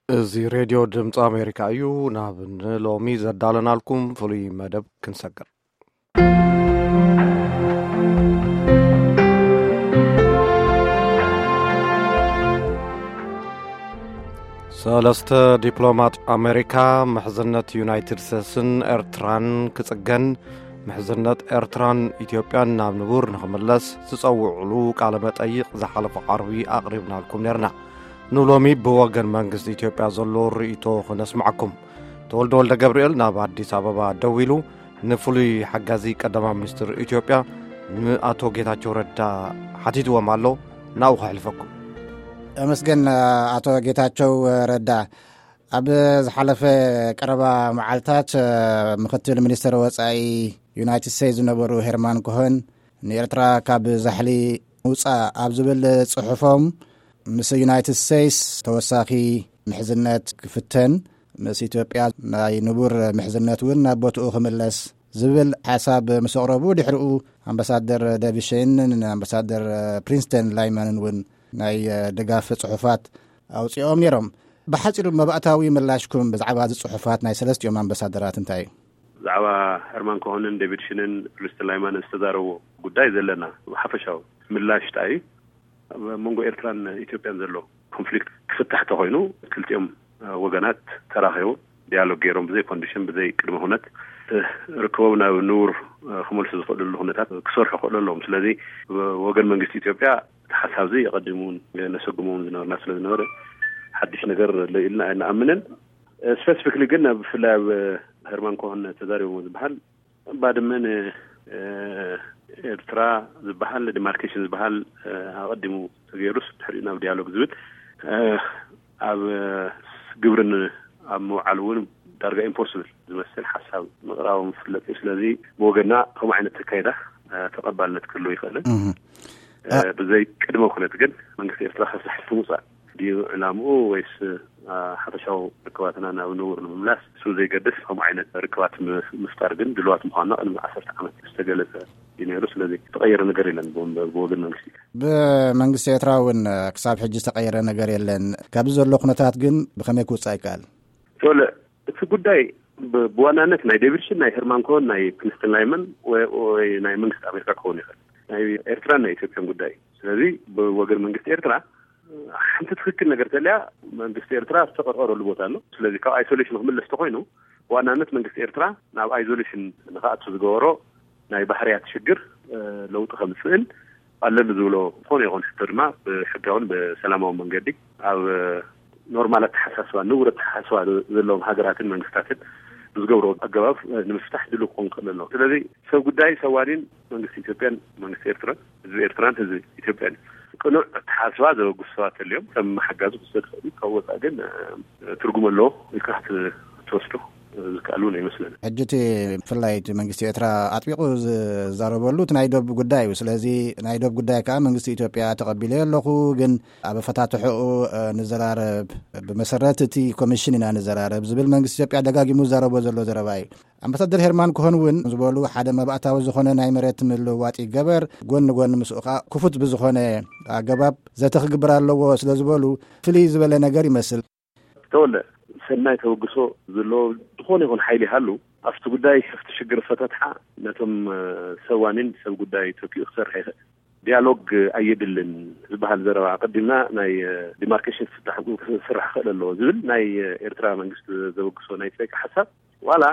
እዚ ሬድዮ ድምፂ ኣሜሪካ እዩ። ናብ ንሎሚ ዘዳለናልኩም ፍሉይ መደብ ክንሰግር። ሰለስተ ዲፕሎማት ኣሜሪካ፣ ምሕዝነት ዩናይትድ ስቴትስን ኤርትራን ክጽገን፣ ምሕዝነት ኤርትራን ኢትዮጵያን ናብ ንቡር ንኽምለስ ዝጸውዕሉ ቃለ መጠይቕ ዝሓለፈ ዓርቢ ኣቕሪብናልኩም ነርና። ንሎሚ ብወገን መንግስቲ ኢትዮጵያ ዘሎ ርእይቶ ክነስምዓኩም። ተወልደ ወልደ ገብርኤል ናብ ኣዲስ ኣበባ ደዊሉ ንፍሉይ ሓጋዚ ቀዳማይ ሚኒስትር ኢትዮጵያ ንኣቶ ጌታቸው ረዳ ሓቲትዎም ኣሎ። ናብኡ ከሕልፈኩም። ተመስገን። ኣቶ ጌታቸው ረዳ፣ ኣብ ዝሓለፈ ቀረባ መዓልታት ምክትል ሚኒስትር ወጻኢ ዩናይትድ ስቴትስ ዝነበሩ ሄርማን ኮሆን፣ ንኤርትራ ካብ ዛሕሊ ምውጻእ ኣብ ዝብል ጽሑፎም፣ ምስ ዩናይትድ ስቴትስ ተወሳኺ ምሕዝነት ክፍተን፣ ምስ ኢትዮጵያ ናይ ንቡር ምሕዝነት እውን ናብ ቦትኡ ክምለስ ዝብል ሓሳብ ምስ ኣቕረቡ፣ ድሕሪኡ ኣምባሳደር ዴቪድ ሼን ንኣምባሳደር ፕሪንስተን ላይመንን እውን ናይ ድጋፍ ጽሑፋት ኣውጺኦም ነይሮም። ብሓጺሩ መባእታዊ ምላሽኩም ብዛዕባ እዚ ጽሑፋት ናይ ሰለስቲኦም ኣምባሳደራት እንታይ እዩ? ብዛዕባ ሄርማን ኮሆንን ዴቪድ ሽንን ፕሪንስተን ላይመንን ዝተዛረብዎ ጉዳይ ዘለና ሓፈሻዊ ምላሽ እንታይ እዩ? ኣብ መንጎ ኤርትራን ኢትዮጵያን ዘሎ ኮንፍሊክት ክፍታሕ ተኾይኑ፣ ክልቲኦም ወገናት ተራኺቦም ዲያሎግ ገይሮም፣ ብዘይ ኮንዲሽን፣ ብዘይ ቅድመ ኩነት ርክቦም ናብ ንቡር ክመልሱ ዝኽእልሉ ኩነታት ክሰርሑ ክኽእሉ ኣለዎም። ስለዚ ወገን መንግስቲ ኢትዮጵያ እቲ ሓሳብ እዚ የቐድም እውን ነሰጉም እውን ዝነበርና ስለ ዝነበረ፣ ሓድሽ ነገር ኣሎ ኢልና ኣይንኣምንን። ስፔሲፊክሊ ግን፣ ብፍላይ ኣብ ሄርማን ኮሆን ተዛሪቦም ዝበሃል፣ ባድመ ንኤርትራ ዝበሃል ዲማርኬሽን ዝበሃል ኣቐዲሙ ተገይሩስ፣ ድሕሪኡ ናብ ዲያሎግ ዝብል ኣብ ግብርን ኣብ ምውዓል እውን ዳርጋ ኢምፖስብል ዝመስል ሓሳብ ምቕራቦም ዝፍለጥ እዩ። ስለዚ ብወገና ከምኡ ዓይነት ኣካይዳ ተቐባልነት ክህልዎ ይኽእልን፣ ብዘይ ቅድመ ኩነት ግን መንግስቲ ኤርትራ ካብ ዛሕሊ ምውፃእ ድዩ ዕላምኡ፣ ወይስ ሓፈሻዊ ርክባትና ናብ ንቡር ንምምላስ? እሱ ዘይገድስ፣ ከምኡ ዓይነት ርክባት ምፍጣር ግን ድልዋት ምዃንና ቅድሚ ዓሰርተ ዓመት ዝተገለጸ እዩ ነይሩ። ስለዚ ዝተቐየረ ነገር የለን ብወገን መንግስቲ። ብመንግስቲ ኤርትራ እውን ክሳብ ሕጂ ዝተቐየረ ነገር የለን። ካብዚ ዘሎ ኩነታት ግን ብኸመይ ክውጻእ ይከኣል? ተወለ፣ እቲ ጉዳይ ብዋናነት ናይ ዴቪድ ሽን፣ ናይ ሄርማን ኮሆን፣ ናይ ፕሪንስተን ላይመን ወይ ናይ መንግስቲ ኣሜሪካ ክኸውን ይኽእል፣ ናይ ኤርትራን ናይ ኢትዮጵያን ጉዳይ። ስለዚ ብወገን መንግስቲ ኤርትራ ሓንቲ ትኽክል ነገር ተልያ፣ መንግስቲ ኤርትራ ዝተቐርቀረሉ ቦታ ኣሎ። ስለዚ ካብ ኣይሶሌሽን ክምለስ ተኾይኑ፣ ብዋናነት መንግስቲ ኤርትራ ናብ ኣይዞሌሽን ንክኣቱ ዝገበሮ ናይ ባህርያት ሽግር ለውጢ ከምፅእን ኣለኒ ዝብሎ ዝኾነ ይኹን ሕቶ ድማ ብሕጋውን ብሰላማዊ መንገዲ ኣብ ኖርማል ኣተሓሳስባ፣ ንቡር ኣተሓሳስባ ዘለዎም ሃገራትን መንግስታትን ብዝገብሮ ኣገባብ ንምፍታሕ ድሉ ክኾን ክእል ኣለዎ። ስለዚ ሰብ ጉዳይ ሰብ ዋኒን መንግስቲ ኢትዮጵያን መንግስቲ ኤርትራን፣ ህዝቢ ኤርትራን ህዝቢ ኢትዮጵያን ቅኑዕ ኣተሓሳስባ ዘበግሱ ሰባት ተልዮም ከም ሓጋዚ ክወሰድ ይኽእል እዩ። ካብ ወፃእ ግን ትርጉም ኣለዎ ኢልካ ክትወስዶ ዝከኣል እውን ኣይመስለንን። ሕጂ እቲ ብፍላይ እቲ መንግስቲ ኤርትራ ኣጥቢቑ ዝዛረበሉ እቲ ናይ ዶብ ጉዳይ እዩ። ስለዚ ናይ ዶብ ጉዳይ ከዓ መንግስቲ ኢትዮጵያ ተቐቢለዮ ኣለኹ፣ ግን ኣብ ኣፈታትሕኡ ንዘራረብ፣ ብመሰረት እቲ ኮሚሽን ኢና ንዘራረብ ዝብል መንግስቲ ኢትዮጵያ ደጋጊሙ ዝዛረቦ ዘሎ ዘረባ እዩ። ኣምባሳደር ሄርማን ኮሆን እውን ዝበሉ ሓደ መባእታዊ ዝኾነ ናይ መሬት ምልውዋጥ ይገበር፣ ጎን ንጎን ምስኡ ከዓ ክፉት ብዝኾነ ኣገባብ ዘተ ክግበር ኣለዎ ስለ ዝበሉ ፍልይ ዝበለ ነገር ይመስል። ተወለ፣ ሰናይ ተበግሶ ዘለዎ ዝኾነ ይኹን ሓይሊ ይሃሉ፣ ኣብቲ ጉዳይ፣ ኣብቲ ሽግር ፈተትሓ ነቶም ሰብ ዋኒን ሰብ ጉዳይ ተኪኡ ክሰርሕ ይኽእል። ዲያሎግ ኣየድልን ዝበሃል ዘረባ፣ ኣቐዲምና ናይ ዲማርኬሽን ክፍታሕ ክስራሕ ክኽእል ኣለዎ ዝብል ናይ ኤርትራ መንግስቲ ዘበግሶ ናይ ጸይቂ ሓሳብ፣ ዋላ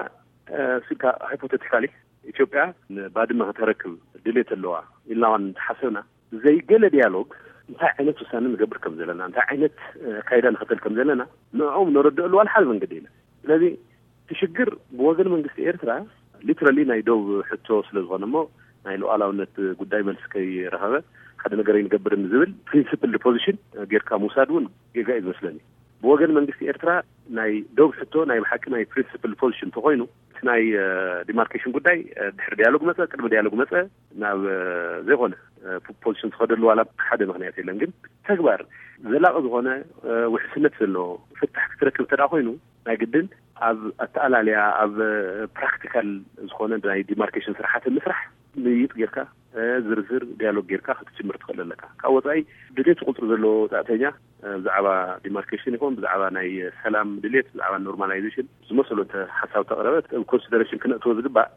ስልካ ሃይፖቴቲካሊ ኢትዮጵያ ንባድመ ከተረክብ ድሌት ኣለዋ ኢልና ዋን እንተሓሰብና፣ ዘይገለ ዲያሎግ እንታይ ዓይነት ውሳነ ንገብር ከም ዘለና፣ እንታይ ዓይነት ኣካይዳ ንኸተል ከም ዘለና ንዕኦም ነረድእሉ ዋላ ሓደ መንገዲ የለን። ስለዚ እቲ ሽግር ብወገን መንግስቲ ኤርትራ ሊትራሊ ናይ ዶብ ሕቶ ስለ ዝኾነ እሞ፣ ናይ ሉዓላውነት ጉዳይ መልሲ ከይረኸበ ሓደ ነገር ኣይንገብርን ዝብል ፕሪንሲፕል ፖዚሽን ጌርካ ምውሳድ እውን ጌጋ እዩ ዝመስለኒ። ብወገን መንግስቲ ኤርትራ ናይ ዶብ ሕቶ ናይ ብሓቂ ናይ ፕሪንሲፕል ፖዚሽን እንተኾይኑ፣ እቲ ናይ ዲማርኬሽን ጉዳይ ድሕሪ ዲያሎግ መፀ፣ ቅድሚ ዲያሎግ መፀ፣ ናብ ዘይኮነ ፖዚሽን ዝኸደሉ ዋላ ሓደ ምኽንያት የለን። ግን ተግባር ዘላቒ ዝኾነ ውሕስነት ዘለዎ ፍታሕ ክትረክብ እንተ ደኣ ኮይኑ፣ ናይ ግድን ኣብ ኣተኣላልያ፣ ኣብ ፕራክቲካል ዝኾነ ናይ ዲማርኬሽን ስራሓት ምስራሕ ምይጥ ጌርካ ዝርዝር ዲያሎግ ጌርካ ክትጅምር ትኽእል ኣለካ። ካብ ወፃኢ ድሌት ቁፅሪ ዘለዎ ወፃእተኛ ብዛዕባ ዲማርኬሽን ይኹን ብዛዕባ ናይ ሰላም ድሌት፣ ብዛዕባ ኖርማላይዜሽን ዝመሰሉ እንተ ሓሳብ ተቕረበ፣ ኮንሲደሬሽን ክነእትዎ ዝግባእ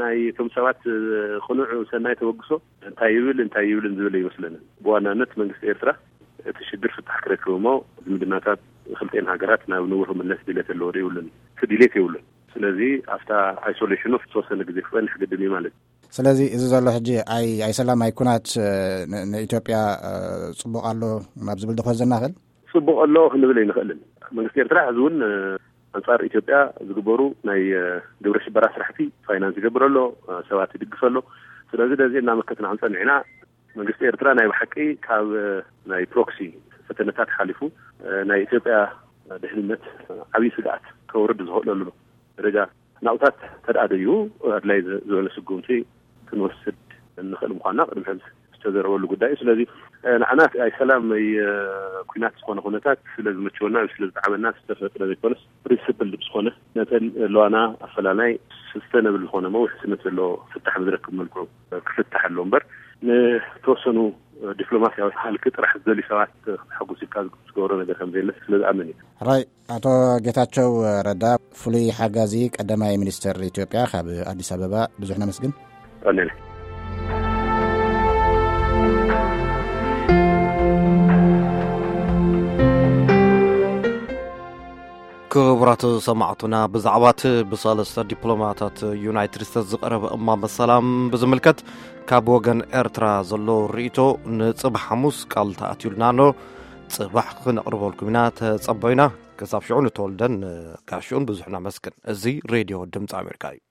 ናይ እቶም ሰባት ቅኑዕ ሰናይ ተበግሶ እንታይ ይብል እንታይ ይብልን ዝብል ይመስለንን። ብዋናነት መንግስቲ ኤርትራ እቲ ሽግር ፍታሕ ክረክብ እሞ ዝምድናታት ክልቴን ሃገራት ናብ ንቡር ክምለስ ድሌት ኣለዎ ዶ የብሉን? እቲ ድሌት የብሉን። ስለዚ ኣብታ ኣይሶሌሽኑ ዝተወሰነ ግዜ ክፀንሕ ግድን እዩ ማለት እዩ። ስለዚ እዚ ዘሎ ሕጂ ኣይ ኣይሰላም ኣይኩናት ንኢትዮጵያ ፅቡቕ ኣሎ ናብ ዝብል ዶ ክወስደና ይኽእል? ፅቡቕ ኣሎ ክንብል ኣይንኽእልን። መንግስቲ ኤርትራ ሕዚ እውን ኣንፃር ኢትዮጵያ ዝግበሩ ናይ ግብረ ሽበራ ስራሕቲ ፋይናንስ ይገብር ኣሎ፣ ሰባት ይድግፍ ኣሎ። ስለዚ ነዚ እናመከትና ክንፀንሕ ኢና። መንግስቲ ኤርትራ ናይ ብሓቂ ካብ ናይ ፕሮክሲ ፈተነታት ሓሊፉ ናይ ኢትዮጵያ ድሕንነት ዓብዪ ስግኣት ከውርድ ዝኽእለሉ ደረጃ ናውታት ተደኣ ደዩ ኣድላይ ዝበለ ስጉምቲ ክንወስድ እንኽእል ምዃንና ቅድሚ ሕዚ ዝተዘረበሉ ጉዳይ እዩ። ስለዚ ንዓና ኣይ ሰላም ኣይ ኩናት ዝኾነ ኩነታት ስለ ዝመቸወና ወይ ስለ ዝጠዓመና ዝተፈጥረ ዘይኮነስ ፕሪንስፕል ዝኾነ ነተን ለዋና ኣፈላላይ ሰስተነብል ዝኾነ መውሕስነት ዘለዎ ፍታሕ ብዝረክብ መልክዑ ክፍታሕ ኣሎ እምበር ንተወሰኑ ዲፕሎማሲያዊ ሃልኪ ጥራሕ ዝደልዩ ሰባት ክተሓጉስ ኢልካ ዝገብሮ ነገር ከም ዘየለ ስለ ዝኣምን እዩ። ሕራይ። ኣቶ ጌታቸው ረዳ፣ ፍሉይ ሓጋዚ ቀዳማይ ሚኒስትር ኢትዮጵያ፣ ካብ ኣዲስ ኣበባ ብዙሕ ነመስግን። ቀኒለ። ክቡራት ሰማዕቱና፣ ብዛዕባ እቲ ብሰለስተ ዲፕሎማታት ዩናይትድ ስቴትስ ዝቐረበ እማመ ሰላም ብዝምልከት ካብ ወገን ኤርትራ ዘሎ ርእይቶ ንጽባሕ ሓሙስ ቃል ተኣትዩልና ኣሎ። ጽባሕ ክነቕርበልኩም ኢና፣ ተጸበዩና። ክሳብ ሽዑ ንተወልደን ጋሽኡን ብዙሕ ነመስግን። እዚ ሬድዮ ድምፂ ኣሜሪካ እዩ።